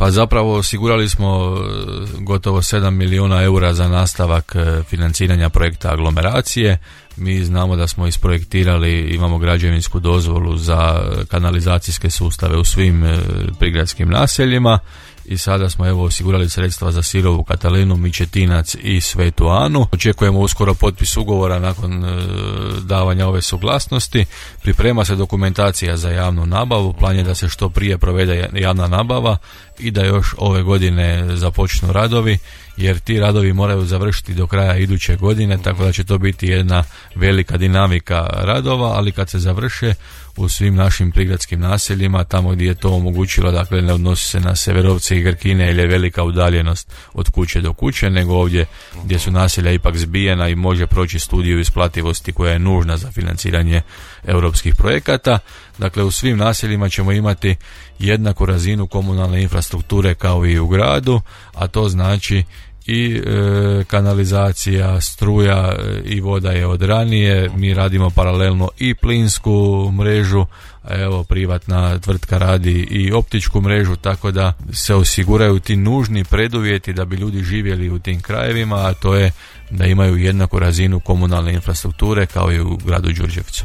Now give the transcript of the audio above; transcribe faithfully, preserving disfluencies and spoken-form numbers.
Pa zapravo osigurali smo gotovo sedam milijuna eura za nastavak financiranja projekta aglomeracije. Mi znamo da smo isprojektirali, imamo građevinsku dozvolu za kanalizacijske sustave u svim prigradskim naseljima i sada smo evo osigurali sredstva za Sirovu Katalinu, Mičetinac i Svetu Anu. Očekujemo uskoro potpis ugovora nakon e, davanja ove suglasnosti. Priprema se dokumentacija za javnu nabavu, plan je da se što prije provede javna nabava i da još ove godine započnu radovi, jer ti radovi moraju završiti do kraja iduće godine, tako da će to biti jedna velika dinamika radova, ali kad se završe u svim našim prigradskim naseljima, tamo gdje je to omogućilo, dakle ne odnosi se na Severovce i Grkine ili je velika udaljenost od kuće do kuće, nego ovdje gdje su naselja ipak zbijena i može proći studiju isplativosti koja je nužna za financiranje europskih projekata. Dakle, u svim naseljima ćemo imati jednaku razinu komunalne infrastrukture kao i u gradu, a to znači i e, kanalizacija, struja i voda je od ranije. Mi radimo paralelno i plinsku mrežu, a evo privatna tvrtka radi i optičku mrežu, tako da se osiguraju ti nužni preduvjeti da bi ljudi živjeli u tim krajevima, a to je da imaju jednaku razinu komunalne infrastrukture kao i u gradu Đurđevcu.